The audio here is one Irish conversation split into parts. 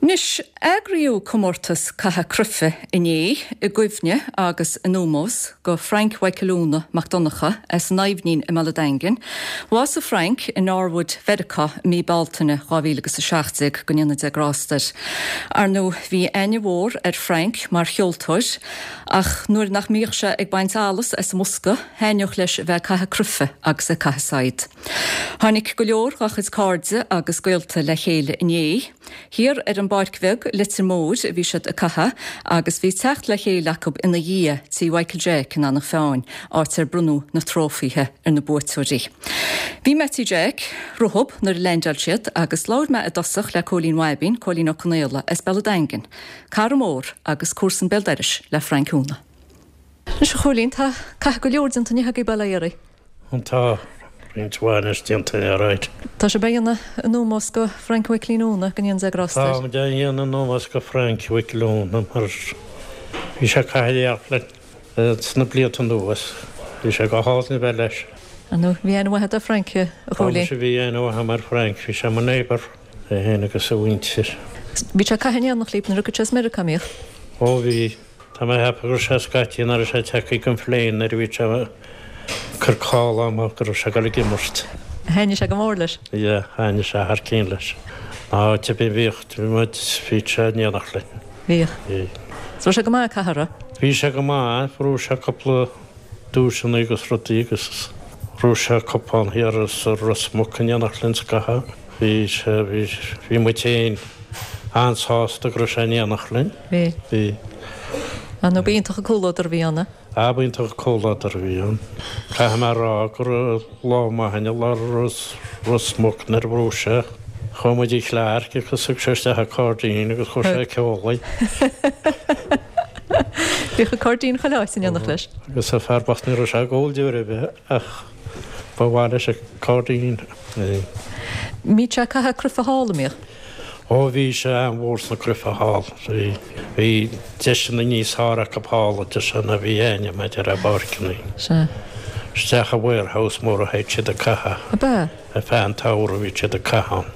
Anois, eagraíodh comórtas caitheamh cruife inné i gcuimhne agus in ómós go Frank Mhichael Úna Mac Donncha as an Aibhnín i mBaile Daingin. Bhásaigh Frank i Norwood, Mheiriceá i mí Bealtaine 2017, go ndéana Dia grásta air. Ar ndóigh, bhí aithne mhór ar Frank mar cheoltóir ach nuair nach mbíodh sé ag baint allas as an mbosca, thaitneodh leis a bheith ag caitheamh cruife agus ag caitheamh saighead. Tháinig go leor dá chuid cairde agus gaolta le chéile inné. Thiar ar an bPáirc Bheag, Leitir Móir, a bhí siad ag caitheamh agus bhí teacht le chéile acu ina dhiaidh, tí Mhichael Jeaic in Eanach Mheáin, áit ar bronnadh na trófaithe ar na buaiteoirí. Bhí mé tí Jeaic rompu nuair a leaindeáil siad agus labhair mé i dtosach le Cóilín Bhaibín, Cóilín Ó Conaola, as Béal an Daingin, cara mór agus comharsan béal dorais le Frank Úna. Anois a Chóilín, tá caitheamh go leor déanta inniu agaibh bail ó Dhia oraibh. Tá roinnt mhaith anois déanta alright. Tá sibh á dhéanamh in ómós go Frank Mhicilín Úna, go ndéana Dia grásta air. Táimid á dhéanamh in ómós go Frank Mhicil Úna mar bhí sé ag caitheamh in éineacht linn sna blianta anuas. Bhí sé go hálainn a bheith leis. Ar ndóigh, bhí aithne mhaith agat ar Frank, a Chóilín. Tá muise, bhí aithne mhaith agam ar Frank, bhí sé mo neighbour, é féin agus a mhuintir. Bhí sé ag caitheamh in éineacht libh nuair a thigeadh sé as Meiriceá, an mbíodh? Ó bhí. Tá mé ag ceapadh go raibh sé scaití nach raibh sé tagtha den phlane nuair a bhí sé ag cur call amach go raibh sé ag dul ag imirt. Thaitnigh sé go mór leis. Yeah, thaitnigh sé thar cionn leis. Ná áit ar bith a bhíodh, bhí muid, bhí sé in éineacht linn. Bhíodh. Bhí. So raibh sé go maith ag caitheamh, raibh? Bhí sé go maith, bhuaigh sé cúpla duaiseanna agus rudaí agus bhuaigh sé cupán thiar sa Ros Muc in éineacht linn scaitheamh. Bhí sé, bhí, bhí muid féin an-sásta go raibh sé in éineacht linn. Bhí. Bhí. Ar ndóigh, b'iontach an comhluadar a bhí ann. Ah, b'iontach an comhluadar a bhí ann. Caithfidh mé a rá go raibh lá maith againn i lár Ros Muc nuair a bhuaigh sé. Chuaigh muid tigh Chlarke agus thug sé isteach an cairdín agus chuir sé ag ceol é. Bhíodh an cairdín chuile áit in éineacht leis. Agus an fear bocht ní raibh sé ag ól deoir ar bith ach ba mhaith leis an cairdín. Mbíodh sé ag caitheamh cruife thall, an mbíodh? Ó bhí sé an-mhór sna cruife thall. Bhí, bhí deiseanna níos fearr acu thall a deir sé ná bhí a'inne maidir le páirceanna. Sea. Isteach i warehouse mór a théid siad ag caitheamh. Ab ea? Ar feadh an tsamhraidh bhí siad ag caitheamh ann.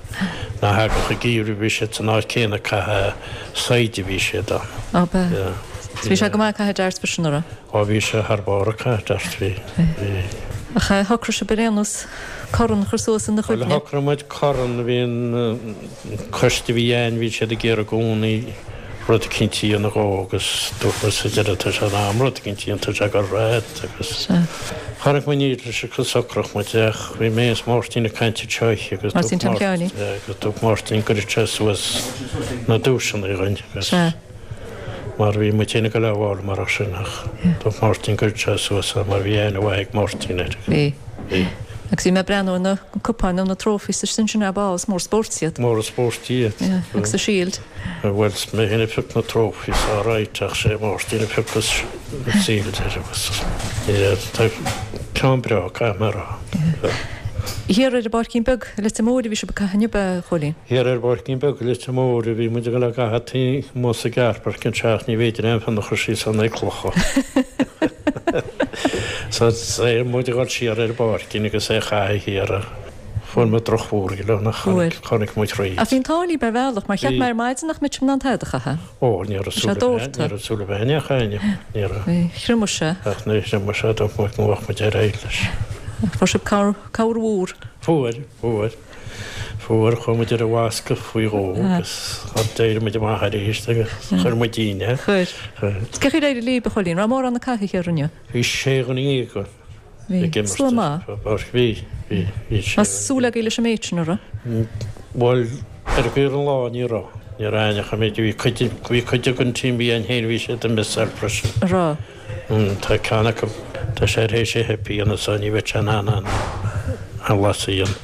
Ná thagadh an geimhreadh bhí siad san áit céanna ag caitheamh saighde a bhí siad ann. Ab ea? Yeah. Bhí sé go maith ag caitheamh darts freisin, an raibh? Ó bhí sé thar barr ag caitheamh darts, bhí, bhí. Ach shocraigh sibh ar aon nós corn a chur suas ina chuimhne? Bhuel, shocraigh muid corn, bhí an coiste a bhí a'inn, bhí siad ag iarraidh i gcónaí rud eicínt a dhéanamh dhó agus dúirt muid sa deireadh tá sé in am rud eicínt a dhéanamh, tá sé ag dul thart agus chonaic muid níl leis agus shocraigh muid ach bhí mé is Máirtín ag caint anseo oíche agus dúirt Máirtín, agus dúirt Máirtín go gcuirfeadh sé suas na duaiseanna dhuinn agus. Mar bhí muid féin ag dul á bhfáil marach sin ach dúirt Máirtín go gcuirfeadh sé suas é mar bhí aithne mhaith ag Máirtín air. Bhí. Bhí. Agus bhí mé ag breathnú ar na cupáin nó na trophies istigh ansin ab ea, is mór spóirt iad. Mór an spóirt iad. Yeah, agus an shield. Bhuel, is mé féin a phioc na trophies alright ach sé Máirtín a phioc an shield air agus yeah, tá ceann breá, caithfidh mé a rá. Yeah. Thiar ar an bPáircín Beag i Leitir Móir a bhí sibh ag caitheamh inniu, a Chóilín? Thiar ar an bPáircín Beag i Leitir Móir a bhí muid ag dul a gcaitheamh taobh amuigh sa gcarrpháirc anseo ach ní bhféidir aon phian a chur síos ann ag clocha. So bhí muid ag dul siar ar an bpáircín agus é a chaitheamh thiar ach fuair muid drochbhualadh ann ach chonaic, chonaic muid thríd. Ach bhí an t-ádh libh ar bhealach mar cheap mé ar maidin nach mbeadh sibh in ann tada a chaitheamh. Ó, ní raibh súil ag éinne, ní raibh súil ag éinne a chaitheamh, ní raibh. Bhí, thriomaigh sé. Ach níor thriomaigh sé, dúirt muid go mbeadh muid ar aghaidh leis. Fuair sibh cabhair, cabhair mhór. Fuair, fuair. Fuair, chuaigh muid ar an bhfoscadh faoi dhó agus d'éirigh muid amach arís agus chuir muid dínn é. Chuir. Chuir. Cén chaoi ar éirigh libh, a Chóilín? Raibh mórán ag caitheamh thiar inniu? Bhí sé dhuine againn Bhí. ag imirt. Slua maith. Bhí, bhí, bhí sé. Raibh súil agaibh leis an méid sin, an raibh? Bhuel, ar an lá ní raibh. Ní raibh éinne chomh méid, bhí cuid, bhí cuid den team a bhí ann féin, bhí siad ag missáil freisin. An raibh? Tá ceann acu, tá sé tar éis a hip a dhéanamh so ní bheidh sé in ann an las a dhéanamh.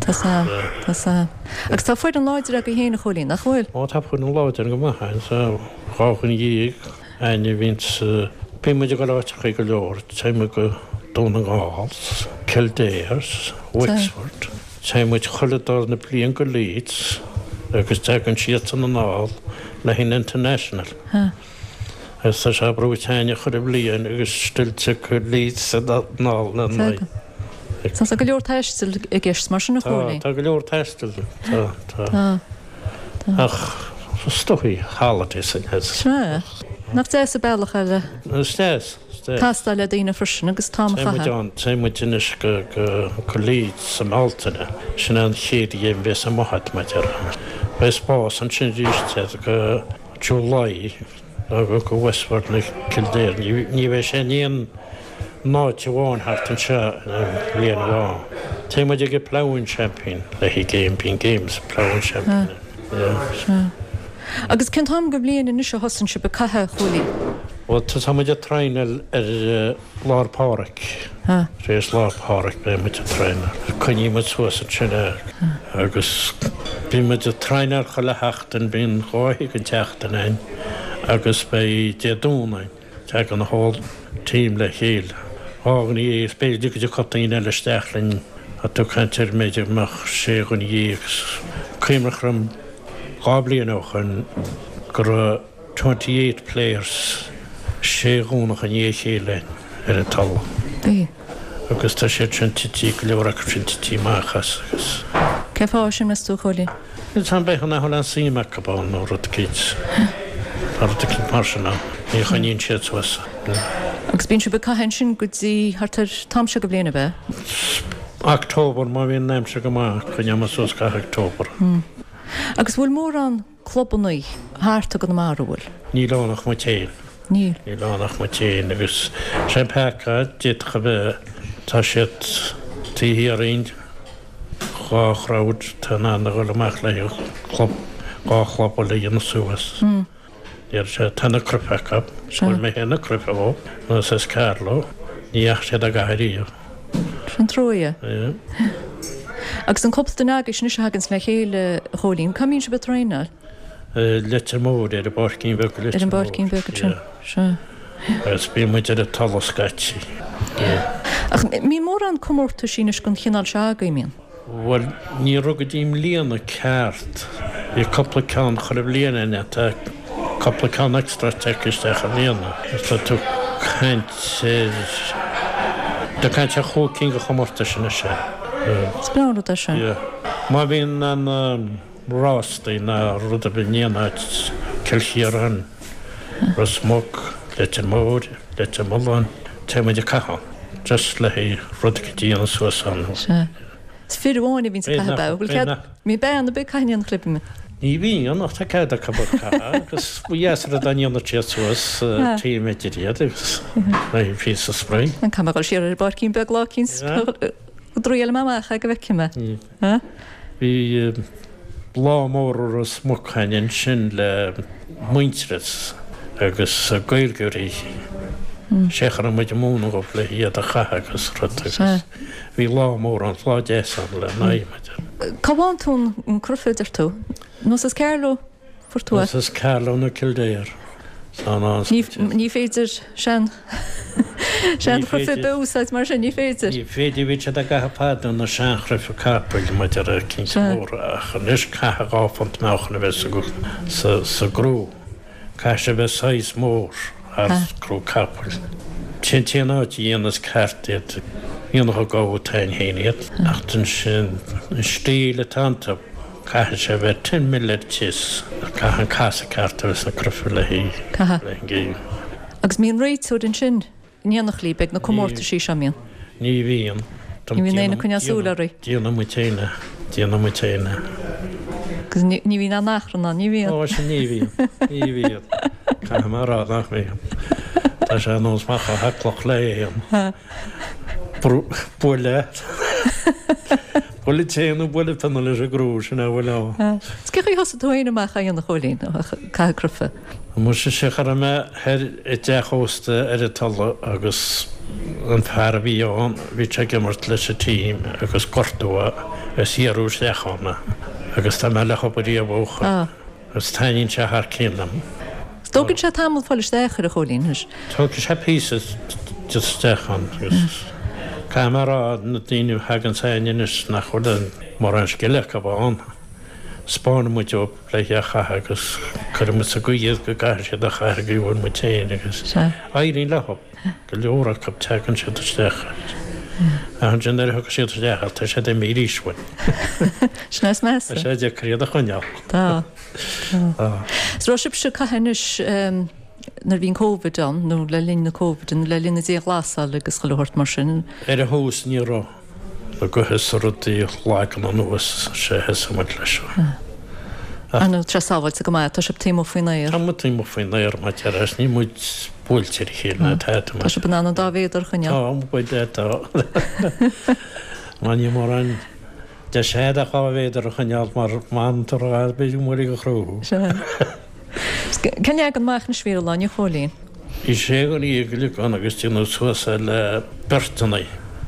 Tá sam, tá sam. Agus tá foireann láidir agaibh féin, a Chóilín, nach bhfuil? Ó tá foireann láidir go maith againn, tá 12 againn a bhíonns, bíonn muid ag dul áiteachaí go leor, téann muid go Dún na nGall, Kildare, Wexford, téann muid chuile darna bliain go Leeds agus tagann siadsan anall le haghaidh an International. Agus tá sé brúite againn chuile bhliain agus still tiocfaidh Leeds anall lena n-aghaidh. Tá go leor taistil i gceist mar sin, a Chóilín. Tá, tá go leor taistil, tá, tá. Tá, tá. Ach. Is dóigh holidays in his. Sea. Nach deas an bealach é le. Is deas, is deas. Castáil le daoine freisin agus t-am a chaitheamh. Téimid ann, téimid anois go, go, go Leeds sa mBealtaine. Sin é an chéad ghéim a bheas amuigh agat, mar a déarfá. Beidh spás ansin arís go July nó go, go Wexford nó Kildare. Ní, ní bheidh sé in aon áit amháin thart anseo in aon bhliain amháin. Téann muid ag an Ploughing Champion le haghaidh game, bíonn games Ploughing Champion. Yeah. Sea. Agus cén t-am den bhliain anois a thosaíonn sibh ag caitheamh, a Chóilín? Bhuel, tá muid ag traenáil ar Lá 'le Pádraig. Tar éis Lá 'le Pádraig beidh muid ag traenáil. Coinníonn muid suas ansin é agus bíonn muid ag traenáil chuile sheachtain, bíonn dhá oíche den tseachtain ann agus beidh Dé Domhnaigh. Tagann an whole team le chéile. Dhuine dhéag is b'fhéidir go dtiocfadh daoine eile isteach linn. Tá tú ag caint ar b'fhéidir go mbeadh sé dhuine dhéag. Cuimhneach orm dhá bliain ó shoin go raibh 28 players sé Dhomhnach i ndiaidh a chéile ar an talamh. Bhí. Agus tá siad sin tití, go leor acu sin tití amach as agus. Cén fáth sin, meas tú, a Chóilín? Níl 's a'm, b'fhéidir nach bhfuil aon suim acu ann nó rud eicínt, tá rud eicínt mar sin ann, ní choinníonn siad suas. Agus bíonn sibh ag caitheamh ansin go dtí thart ar t-am seo de bhliain, ab ea? October, má bhíonn an aimsir go maith, coinneoidh muid suas gach October. Agus bhfuil mórán clubannaí thart i gConamara, an bhfuil? Níl ann ach muid féin. Níl. Níl ann ach muid féin agus sé an peaca d'fhéadfadh a bheith, tá siad taobh thiar dhínn, dhá chrowd atá in ann a dhul amach le club, dhá chlub eile a dhéanamh suas. Deir sé, tá na cruife acu, fuair mé féin na cruife ó, nó as Carlow, ní dheachaigh siad á gcaitheamh ariamh. Sin trua é. Agus an cúpla duine agaibh anois a thaganns le chéile, a Chóilín, cá mbíonn sibh ag traenáil? Leitir Móir, ar an bpáircín bheag i Leitir Móir. Ar an bpáircín bheag ansin, sea. Agus bíonn muid ar an talamh scaití. Ach mbíonn mórán comórtaisí anois den chineál seo agaibh, mbíonn? Bhuel, ní raibh go dtí i mbliana ceart. Bhí cúpla ceann chuile bhliain ann, tá cúpla ceann extra tagtha isteach i mbliana. Tá tú ag caint ar, tá tú ag caint ar chúig cinn de chomórtais anois. Is breá an rud é sin. Yeah. Má bhíonn an. rástaí ná rud ar bith in aon áit, Cill Chiaráin, Ros Muc, Leitir Móir, Leitir Mealláin, téann muid ag caitheamh ann, just le haghaidh rud a dhéanamh suas ann. Sea. Is fir amháin a bhíonns ag caitheamh ab ea? Bhfuil cead, mbíonn bean ar bith ag caitheamh in aon chlub, an mbíonn? Ní bhíonn, ach tá cead acu ag caitheamh agus ba dheas an rud dá ndéanfadh siad suas team idir iad agus le haghaidh píosa spraoi. An caithfidh mé a dhul siar ar an bpáircín beag lá eicínt go dtriailfidh mé amach é go bhfeicfidh mé. Bhí lá mór i Ros Muc againn ansin le Muintearas agus Gaeilgeoirí. Sé a raibh muid ag múineadh dhóibh le hiad a chaitheamh agus rud agus bhí lá mór ann, lá deas ann le n-aghaidh. Cá bhfaigheann tú an cruife, a deir tú? Nó as Carlow? Fuair tú é. As Carlow nó Kildare. Ní féidir sean seanchruife a úsáid mar sin, ní féidir. Ní féidir, bhí siad á gcaitheamh fadó na seanchruife capaill maidir le cinnte móra ach anois caithfidh 2 phunt meáchain a bheith sa sa gcrú. Caithfidh sé a bheith saghas mór thar crú capaill. Sin an t-aon áit a dhéanas ceart iad, dhéanfadh an gabha tain féin iad ach ansin an stíl atá iontu. Caithfidh sé a bheith ten mil ar tíos. Caithfidh an casadh ceart a bheith sna cruife le Caithfidh. an gcéim. Agus mbíonn réiteoir ansin in éineacht libh ag na comórtaisí seo, mbíonn? Ní bhíonn. Ní bhíonn éinne ag coinneáil súil oraibh? Déanann muid féin é. Déanann muid féin é. Agus ní bhíonn aon achrann ann, ní bhíonn? Ó, sin ní bhíonn. Ní bhíonn. Caithfidh mé a rá nach mbíonn. Tá sé ar nós macha haclach le éan. Buaile. Buaile tae nó buaile pionna leis an gcrú, sin é a bhfuil ann. Is cén chaoi a thosaigh tú féin amach á dhéanamh a Chóilín, ag caitheamh cruife? Muise sea cha raibh mé thoir i dteach ósta ar an Tulaigh agus an fear a bhí ann, bhí sé ag imirt leis an team agus gortú é agus iarradh isteach ann é agus tá mé le hobair riamh ó shoin. Agus taitníonn sé thar cionn liom. Is tógann sé tamall fáil isteach air a Chóilín, anois. Tógfaidh sé píosa isteach ann agus caithfidh mé a rá na daoine a thagann chugainn anois nach bhfuil mórán scil acu ann. 'Spáineann muid dóibh le é a chaitheamh agus cuireann muid sa gcaoi iad go gcaithfidh siad a chaitheamh go bhfuil muid féin agus éiríonn leo. Go leor acu tagann siad isteach ach ansin nuair a thiocfaidh siad isteach tá siad imithe arís uainn. Sin é is measa. Tá sé deacair iad a choinneáil. Tá. Is raibh sibhse ag caitheamh anois nuair a bhí an Covid ann, nó le linn na Covid, nó le linn na dianghlasála agus chuile shórt mar sin? Ar an thús ní raibh. Na gaotha is rudaí a leagan anuas sé thosaigh muid leis seo. Ar ndóigh, tá sé sábháilte go maith, tá sibh taobh amuigh faoin aer. Tá muid taobh amuigh faoin aer mar deir is níl muid buailte ar a chéile ná tada mar. Tá sibh in ann an dá mhéadar a choinneáil. Tá, muid é tá. Mar níl mórán deis a'd ach 2 mhéadar a choinneáil mar má fhanann tú rófhada b'fhéidir go mbuailfidh an chrú thú. Sea. Cén leagan amach anois a bhí ar an lá inniu, a Chóilín? Bhí sé an eagle ann agus déanadh suas é le beirteanna,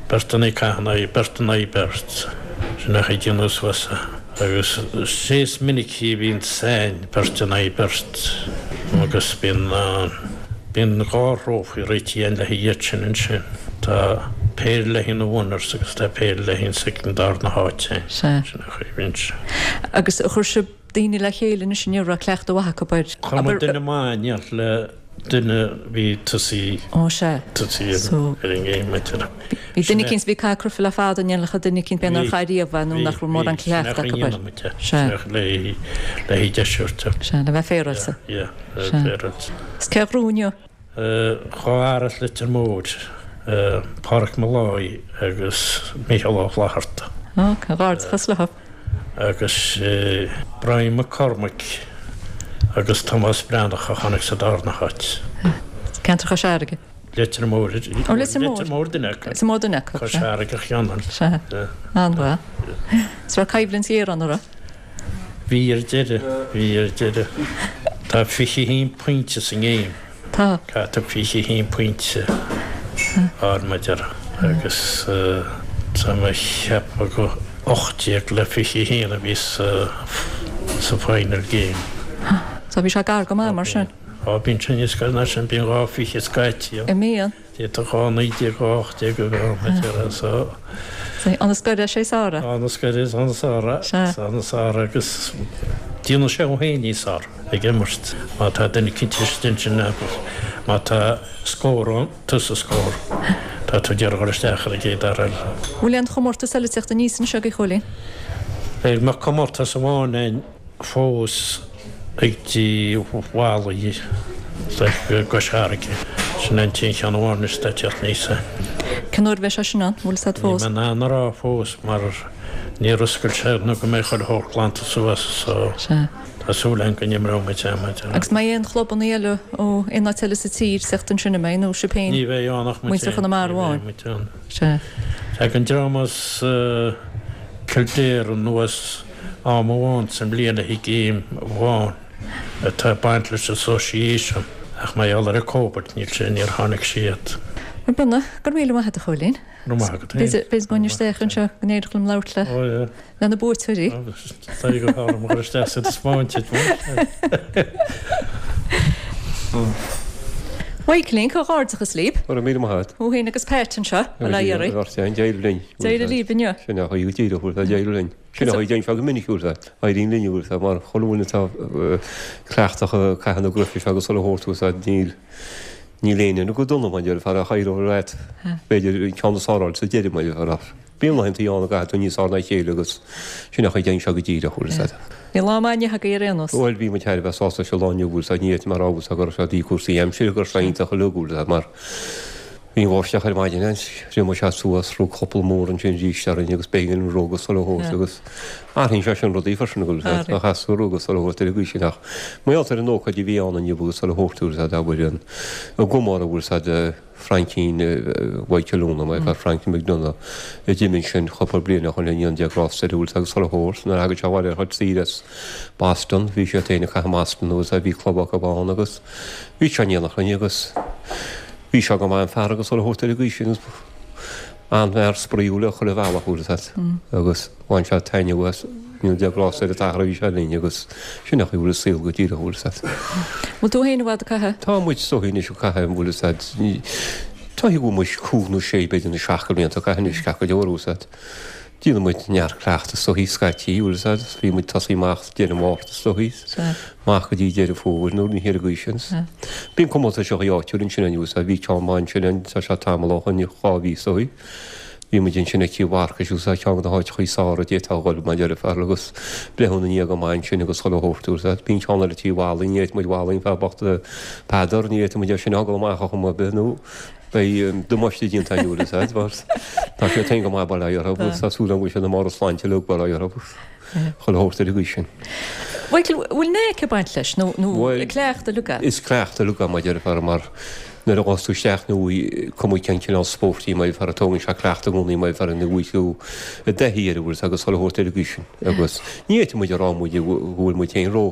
beirteanna ag caitheamh in aghaidh, beirt in aghaidh beirt. Sin é an chaoi a déanadh suas é. Agus sé is minicí a bhíonn againn beirt in aghaidh beirt agus bíonn, bíonn 2 thrófaí réitithe againn le haghaidh iad sin ansin. Tá péire le haghaidh na winners agus tá péire le haghaidh an second darna háit againn. Sea. Sin an chaoi a bhíonn sé. Agus chuir sibh daoine le chéile anois inniu a raibh cleachtadh mhaith acu air. Chuir muid duine maith in éineacht le duine a bhí tosaí Ó sea. tosaí So. ar an ngéim maidir. Bhí duine eicínt a bhí ag caitheamh cruife le fada in éineacht le duine eicínt b'fhéidir nár chaith riamh é nó nach raibh mórán cleachtadh acu air. Sea. Sin le haghaidh deisiúirt. Sea, le bheith féaráilte. Yeah, yeah, le bheith féaráilte. Is cé a ghnóthaigh inniu? 2 fhear as Leitir Móir, Páraic Molloy agus Mícheál Ó Flatharta. Ó, comhghairdeachas leo. Agus Brian McCormick agus Tomás Breathnach a tháinig sa darna háit. Ceantar Chois Fharraige. Leitir Móir. Ó, Leitir Móir. Leitir Móir duine acu. Leitir Móir duine acu. Cois Fharraige a cheann. Sea. An-mhaith. Is raibh coimhlint ghéar ann, an raibh? Bhí ar deireadh, bhí ar deireadh. Tá 21 pointe sa ngéim. Tá. Caithfidh tú 21 pointe a fháil mar déarfá agus tá mé a cheapadh go 18 le 21 a bhí sa sa final game. So bhí sé gar go maith mar sin. Á bíonn sé níos gaire ná sin, bíonn 2 20 scaití ann. An mbíonn? D'fhéadfadh 2 19, 2 18 a bheith ann, a déarfá, so. An is gaire sé is fearr é. An is gaire is an is fearr é. Sea. An is fearr agus déanann sé thú féin níos fearr ag imirt. Má tá duine eicínt istigh ansin agus má tá scór ann, tusa scór. Tá tú ag iarraidh dhul isteach ar an gcéad fhear eile. Bhfuil aon chomórtas eile ag teacht aníos anseo a Chóilín? Beidh comórtas amháin ann. fós ag dtí Mhalaí i gCois Fharraige. Sin an t-aon cheann amháin anois atá ag teacht aníos. Cén uair a bheidh sé sin ann? Bhfuil fhios agat fós? Níl mé in ann a rá fós mar níor oscail sé nó go mbeidh chuile shórt glanta suas so tá súil agam go n-imreoidh muid é maidin. Agus mbeidh aon chlubanna eile ó aon áit eile sa tír ag teacht ansin an mbeidh nó sibh féin? Ní bheidh ann ach muid féin. Muintir Chonamara amháin? Ní bheidh muid ann. Sea. Tagann dream as Kildare anuas. Am amháin sa mbliain le haghaidh game amháin atá ag baint leis an association ach mar gheall ar an Covid níl sé níor tháinig siad. Bhuel go raibh míle maith agat a Chóilín. Go raibh maith agat féin. B'fhéidir go ngabhfainn isteach anseo go n-éireodh liom labhairt le le na buaiteoirí. Tá go hálainn mo chur isteach sa taispeáint Bhuel a Chóilín, comhghairdeachas libh. Go raibh míle maith agat. Thú féin agus Pat anseo, bail ó Dhia oraibh. D'éirigh linn. D'éirigh libh inniu. Sin é a chuaigh go díreach, d'éirigh linn. Sin é a dhéanann sé go minic uaireanta. Éiríonn linn uaireanta mar chuile dhuine atá cleachtach ag caitheamh na gcruife seo agus chuile shórt uaireanta níl níl éinne go dona mar déarfá ach éireoidh leat b'fhéidir an ceann is fearr a fháil sa deireadh mar déarfá. Bíonn laethanta ann a gcaithfidh tú níos fearr ná a chéile agus sin é a dhéanann sé go díreach uaireanta. Bhí lá maith inniu agaibh ar aon nós. Bhuel bhí muid thar a bheith sásta leis an lá inniu uaireanta ní fhéadfainn a rá uaireanta go raibh sé de cúrsaí aimsire go raibh sé iontach uilig uaireanta mar Bhí an bháisteach ar maidin ann, thriomaigh sé suas, rug copail mór ansin arís orainn agus b'éigean an rug agus chuile shórt agus athraíonn sé sin rudaí freisin go bhfuil a fhios agat rug agus chuile shórt ar an gcaoi sin ach mar gheall ar an ócáid a bhí ann inniu agus chuile shórt bhfuil a fhios agat abair an gcomóradh bhfuil a fhios agat Fraincín Mhichael Úna, mar fear Frankie McDonagh a d'imigh ansin cúpla bliain ó shin go ndéana Dia grásta air bhfuil a fhios agat agus chuile shórt nuair a thagadh sé abhaile ar a chuid saoire as Boston bhí sé féin ag caitheamh i mBoston bhfuil a fhios agat bhí club acu ann agus bhí sé in éineacht linn agus Bhí sé go maith an fear agus chuile shórt ar an gcaoi sin an-fhear spraíúil ar chuile bhealach bhfuil a fhios agat agus bhain sé taitneamh as go ndéana Dia grásta ar an t-athair a bhí sé linn agus sin é an chaoi a bhfuil an saol go díreach bhfuil a fhios agat. Bhfuil tú féin i bhfad ag caitheamh? Tá muid is dóichí anois ag caitheamh bhfuil a fhios agat tá go bhfuil muid cúig nó sé b'fhéidir nó seacht de bhlianta ag caitheamh anois ceart go leor bhfuil a fhios agat. Déanann muid neart cleachtaidh is dóichí scaití, bhfuil a fhios agat, bhí muid tosaí amach deireadh Márta is dóichí, amach go dtí Deireadh Fómhair nó rud ar an gcaoi sin. Bíonn comórtais áitiúil ansin bhfuil a fhios agat, bhí ceann maith ansin, tá sé tamall ó shin, 2 mhí is dóichí. Bhí muid ansin ag Cill Mharcais agus tá ceann de na háiteachaí is fearr a d'fhéadfá a dhul mar a déarfá agus breithiúna i ndiaidh go maith ansin agus chuile shórt agus bhí an ceann eile Tí Mhallaing, ní fhéadfadh muid Mhallaing fear bocht Peadar, ní fhéadfadh muid é sin a fhágáil amach ar chuma ar bith nó beidh damáiste déanta againn bhfuil fhios a'd mar tá sé féin go maith bail ó Dhia orthu agus tá súil agam go bhfuil siad i mbarr a sláinte uilig bail ó Dhia orthu chuile shórt ar an gcaoi sin. Michael, bhfuil knack ag baint leis nó nó cleachtadh uilig é? Is cleachtadh uilig é mar a déarfá mar Nuair a ghabhas tú isteach nó cuma cén cineál spóirt í mar a déarfá tógann sé cleachtadh i gcónaí mar a déarfá ina bhfuil tú i dtaithí air an bhfuil agus chuile shórt ar an gcaoi sin agus ní fhéadfaidh muid a rá muid go bhfuil muid féin ró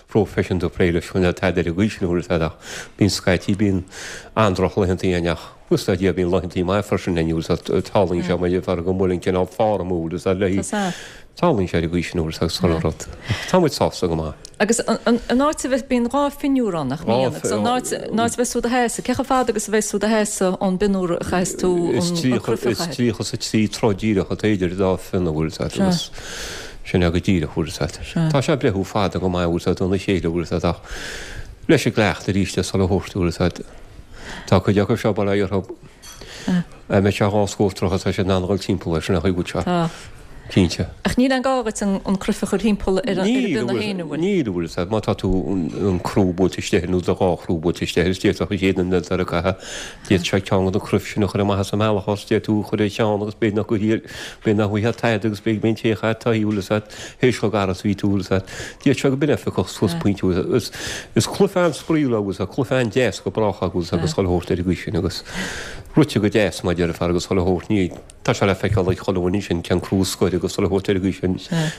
phroifisiúnta ag plé leis nó tada ar an gcaoi sin an bhfuil ach bíonn scaití bíonn an-droch-laethanta againn ach buíochas le Dia bíonn laethanta maith freisin againn an bhfuil tarlaíonn sé mar a déarfá go bhfuil an cineál form an bhfuil le Tarlaíonn sé ar an gcaoi sin an bhfuil agus chuile rud. Tá muid sásta go maith. Agus an áit a bheith, bíonn 2 phionúr ann, nach mbíonn? Agus an áit, an áit a bheas tú do sheasamh, cé chomh fada agus a bheas tú do sheasamh ón bpionúr a chaithfeas tú an cruif a chaitheamh? Is 33 troigh díreach atá idir an dá phionna, bhfuil fhios agat, agus sin é go díreach, bhfuil fhios agat. Tá sé ag breithiú fada go maith, bhfuil fhios agat, óna chéile, bhfuil fhios agat, ach leis an gcleachtadh arís is chuile shórt, bhfuil fhios agat. Tá cuid acu seo, bail ó Dhia orthu, a mbeidh sé 2 scór troithe, tá siad in ann a dhul timpeall air, sin é an chaoi a bhfuil sé. Tá. Cinnte. Ach níl aon gá dhuit an cruif a chur thimpeall ar an bpionna féin, an bhfuil? Níl, an bhfuil fhios agat. Má tá tú an crú buailte istigh air nó do dhá chrú buailte istigh air, is d'fhéadfadh an chéad duine eile atá ag caitheamh, d'fhéadfadh sé ceann de na cruif sin a chur amach as an mbealach ort, d'fhéadfadh tú a chur ar cheann agus b'fhéidir nach gcuirfidh, b'fhéidir nach bhfaighfeá tada agus b'fhéidir go mbeidh an té a chaith taithí, an bhfuil fhios agat, théis chomh gar is a bhí tú, an bhfuil fhios agat. D'fhéadfadh sé go b'in é a phiocfadh suas pointe, an bhfuil fhios agat. Is cluiche an-spraíúil é, an bhfuil fhios agat, cluiche an-deas go brách é, an bhfuil fhios agat, agus chuile shórt ar an gcaoi sin agus rite go deas mar a déarfá agus chuile shórt, ní. Tá sé le feiceáil ag chuile dhuine ansin cén crú a scoir agus chuile shórt ar an gcaoi sin.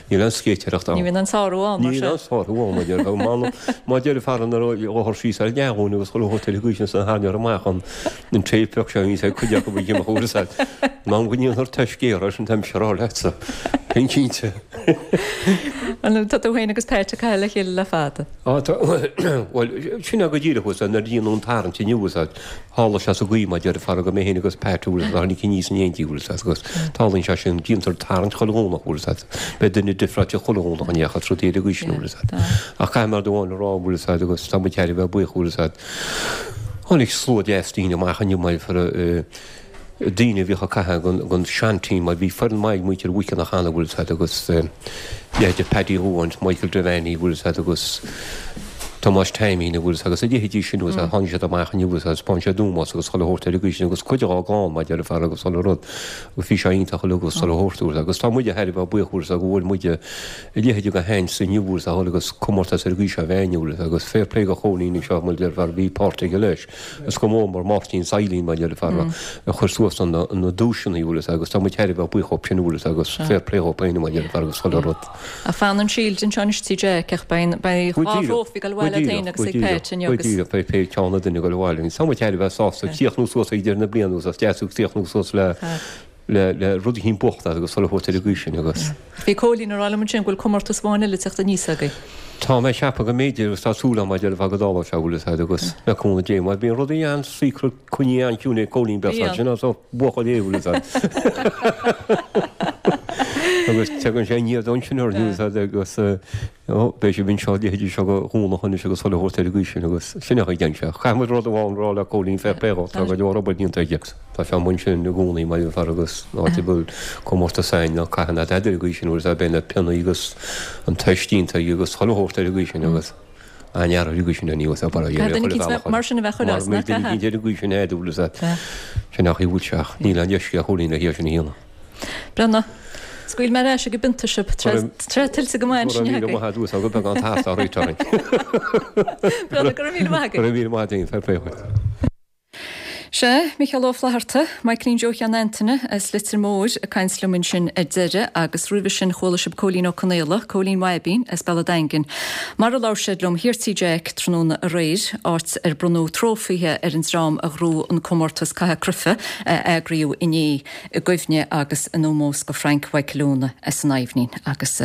Níl aon scéitéireacht ann. Ní bhíonn aon sárú ann, mar sin. Níl aon sárú ann, mar déarfá. Má déarfá nuair a ghabhfar síos ar an leathghúna agus chuile shórt ar an gcaoi sin san tharraingeofar amach an an téip bheag seo a bhíonns ag cuid acu ag imeacht uair is eile. In am go ndéanfar taiscéaladh air sin tá mise a rá leatsa. Sin cinnte. Tá tú féin agus Pat ag caitheamh le chéile le fada. Á tá, bhuel, sin é go díreach, nuair a déanadh an tarraingt inniu, Tharla sé sa gcaoi mar déarfá go mé féin agus Pat bhfuil fhios agat tháinig aníos in éindí bhfuil fhios agat agus tarlaíonn sé sin déantar tarraingt chuile Dhomhnach bhfuil fhios agat beidh duine difreáilte chuile Dhomhnach in aon chor rudaí ar an gcaoi sin bhfuil fhios agat ach caithfidh mé rud amháin a rá bhfuil fhios agat agus tá muid thar a bheith buíoch bhfuil fhios agat tháinig slua deas daoine amach inniu mar daoine a bhíodh ag caitheamh don seanteam mar bhí foireann maith ag muintir Mhuiceanna cheana bhfuil fhios agat agus leithéide Paddy Dhúáin, Michael Devaney bhfuil fhios agat agus Tomás Taimín bhfuil fhios agat agus a leithéidí sin bhfuil fhios agat tháinig siad amach inniu bhfuil fhios agat thaispeáin siad ómós agus chuile shórt ar an gcaoi sin agus cuid dhá gclann mar a déarfá agus chuile rud agus bhí sé iontach uilig agus chuile shórt bhfuil fhios agat agus tá muide thar a bheith buíoch bhfuil fhios agat go bhfuil muide a leithéide de sheans inniu bhfuil fhios agat agus comórtas ar an gcaoi seo a bheith inniu bhfuil fhios agat agus fair play do Chóilín anseo mar a déarfá bhí páirt aige leis. Is go mór mór Máirtín Saidhlín mar a déarfá a chuir suas na duaiseanna bhfuil fhios agat agus tá muid thar a bheith buíoch dhóibh sin bhfuil fhios agat agus fair play dhóibh féin mar a déarfá agus chuile rud. Ach fanann Shield anseo anois Tigh Jack ach beidh beidh Go dhá díreach, thrófaí ag dul go abhaile agat díreach, féin go agus ag díreach, Pat inniu go agus. díreach, beidh pé ceann a duine ag dul abhaile. Tá muid thar a bheith sásta críochnú suas ag deireadh na bliana agus is deas críochnú suas le le le rud eicínt buachta agus chuile shórt ar an gcaoi sin agus. Bhí Cóilín ag rá liom ansin go bhfuil comórtas amháin eile ag teacht aníos agaibh. Tá mé ag ceapadh go mb'fhéidir agus tá súil agam mar a déarfá go dtarlóidh sé bhfuil fhios agat agus le cúnamh Dé mar bíonn rudaí an-saocra coinnithe an-chiúin ag Cóilín beag Bíonn. sin as buachaill é bhfuil fhios agat. Agus tagann sé aniar ansin orainn bhfuil fhios agat agus ó beidh sibh anseo leithéidí seo go Dhomhnach anois agus chuile shórt ar an gcaoi sin agus sin é an chaoi a dtéann sé. Caithfidh muid rud amháin a rá le Cóilín fair play dhó, tá go leor obair déanta aige. Tá sé amuigh ansin i gcónaí mar a déarfá agus áit a bhfuil comórtas a'inn ná caitheamh ná tada ar an gcaoi sin bhfuil fhios agat beidh na pionnaí agus an toist déanta aige agus chuile shórt ar an gcaoi sin agus an-fhear ar an gcaoi sin é ní bhfuil fhios agat Caithfidh duine eicínt bheith mar sin a bheith chuile áit, Mar nach duine caithfidh? eicínt ar an gcaoi sin é bhfuil fhios agat sin nach í bhfuil sé ach níl aon leithscéal Chóilín le hé sin a dhéanamh. Breathnaigh. Scaoil mé ar ais ag an bpionta sibh. Tráth tuillte go maith ansin Go raibh míle maith agat uasal, go beagán tart á réiteach orainn. Breathnaigh, go raibh míle maith agat. Go raibh míle maith agat féin, fair play dhuit. Sea, Micheál Ó Flatharta, Michaelín Joe Sheáin Antaine as Leitir Móir ag caint liom ansin ar deireadh agus roimhe sin chuala sibh Cóilín Ó Conaola, Cóilín Bhaibín as Bealach Daingin, mar a labhair siad liom thiar Tí Jack tráthnóna aréir, áit ar bronnadh trófaithe ar an dream a ghnóthaigh an comórtas caitheamh cruife a eagraíodh inné i gcuimhne agus in ómós go Frank Mhaidhcil Úna as an Aibhnín agus.